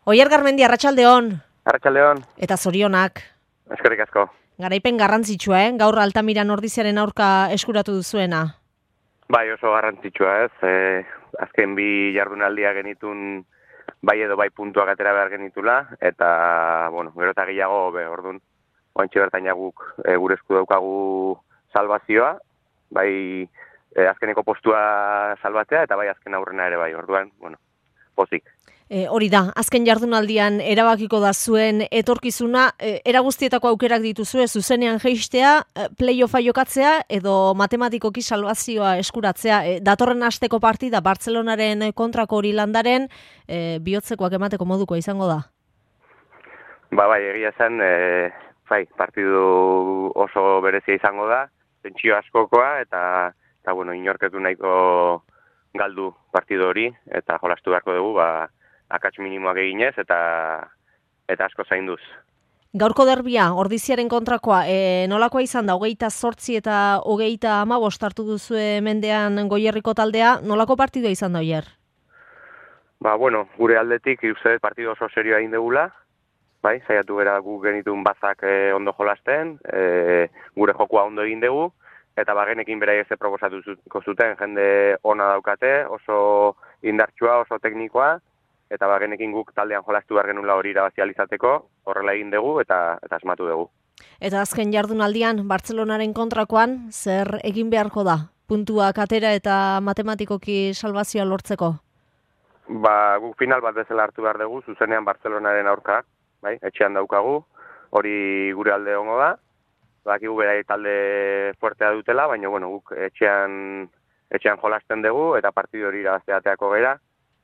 Oier Garmendi, arratsaldeon. Arratsaldeon. Eta zorionak. Eskerrik asko. Garaipen garrantzitsua, gaur Altamiran Ordiziaren aurka eskuratu duzuena. Bai, oso garrantzitsua ez. Azken bi jardunaldia genitun bai edo bai puntuak atera behar genitula, eta, bueno, gero eta gehiago, orduan, oantxe bertain jaguk gure esku daukagu salvazioa, bai azkeneko postua salbatzea, eta bai azken aurrena ere bai, orduan, bueno, pozik. Hori da, azken jardunaldian erabakiko da zuen etorkizuna, era guztietako aukerak dituzue, zuzenean jeistea, play-offa jokatzea edo matematikoki salvazioa eskuratzea. Datorren asteko partida Bartzelonaren kontrako hori landaren, bihotzekoak emateko moduko izango da? Bai, egia zen, partidu oso berezia izango da, tentsio askokoa, eta bueno, inorketu nahiko galdu partidu hori, eta jolastu beharko dugu, akats minimoak eginez, eta asko zainduz. Gaurko derbia, Ordiziaren kontrakoa, nolakoa izan da, 28 eta 35 hartu duzue mendean Goierriko taldea, nolako partidua izan da, Oier? Bueno, gure aldetik, uste partidu oso serioa egin degula, bai, saiatu gara gu genitun bazak ondo jolasten, gure jokua ondo egin dugu, eta genekin beraiek ze proposatuko zuten, jende ona daukate, oso indartsua, oso teknikoa, eta genekin guk taldean jolastu behar genula hori irabazializateko, horrela egin dugu eta asmatu dugu. Eta azken jardunaldian, Bartzelonaren kontrakoan, zer egin beharko da? Puntuak atera eta matematikoki salvazioa lortzeko? Guk final bat bezala hartu behar dugu, zuzenean Bartzelonaren aurka, bai, etxean daukagu, hori gure alde hongo da, bakigu berai talde fuertea dutela, baina bueno, guk etxean jolasten dugu, eta partidu hori irabazteateako gera,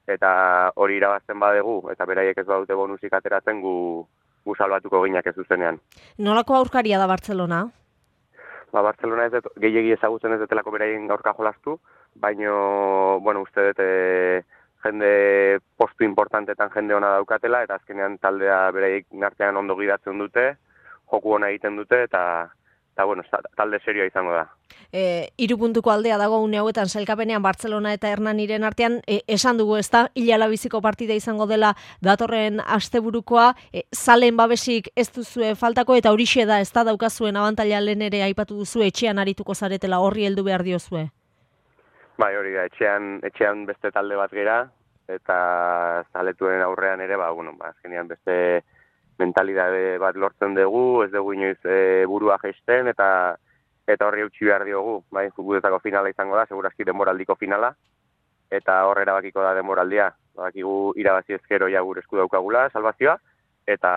eta hori irabazten badegu, eta beraiek ez badute bonusik ateratzen gu salbatuko ginak ez zuzenean. Nolako aurkaria da Bartzelona? Bartzelona gehiegi ezagutzen ez detelako beraien aurka jolastu, baina, bueno, uste dut jende postu importantetan jende ona daukatela, eta azkenean taldea beraiek nartean ondo gidatzen dute, joku ona egiten dute, eta bueno, talde serioa izango da. 3 puntuko aldea dago une hauetan sailkapenean Bartzelona eta Hernaniren artean, esan dugu ez da, hilalabiziko partida izango dela datorren asteburukoa, zalen babesik ez duzue faltako, eta horixe da ez da daukazuen abantaila lehen ere aipatu duzu, etxean arituko zaretela, horri heldu behar diozue. Bai, hori da, etxean beste talde bat gera, eta zaletuen aurrean ere, azkenean beste mentalidade bat lortzen dugu, ez dugu inoiz burua jeisten, eta horri eutxi behar diogu, bai, futboletako finala izango da, segurazki denboraldiko finala, eta horre erabakiko da denboraldia, bakigu irabazi ezkero ja gure esku daukagula, salvazioa, eta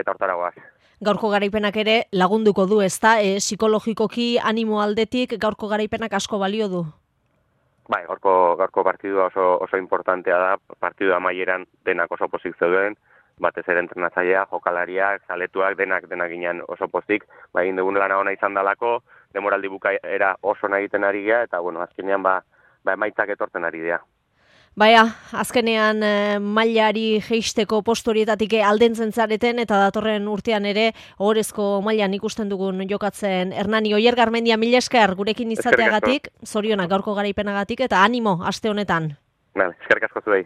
hortara goaz. Gaurko garaipenak ere lagunduko du, ezta, psikologikoki animo aldetik gaurko garaipenak asko balio du? Bai, gaurko partidua oso importantea da, partidu amaieran denak oso pozik zeuden, batez ere entrenatzailea, jokalariak, zaletuak, denak ginen oso pozik, egin dugun lana ona izan dalako, demoraldi bukaera oso nahi egiten ari gea, eta bueno, azkenean emaitzak etortzen ari dira. Baina, azkenean mailari jeisteko postu horietatik aldentzen zareten, eta datorren urtean ere ohorezko mailan ikusten dugun jokatzen Hernani. Oier Garmendia, mila esker gurekin izateagatik, zorionak gaurko garaipenagatik, eta animo aste honetan. Eskerrik asko zuei.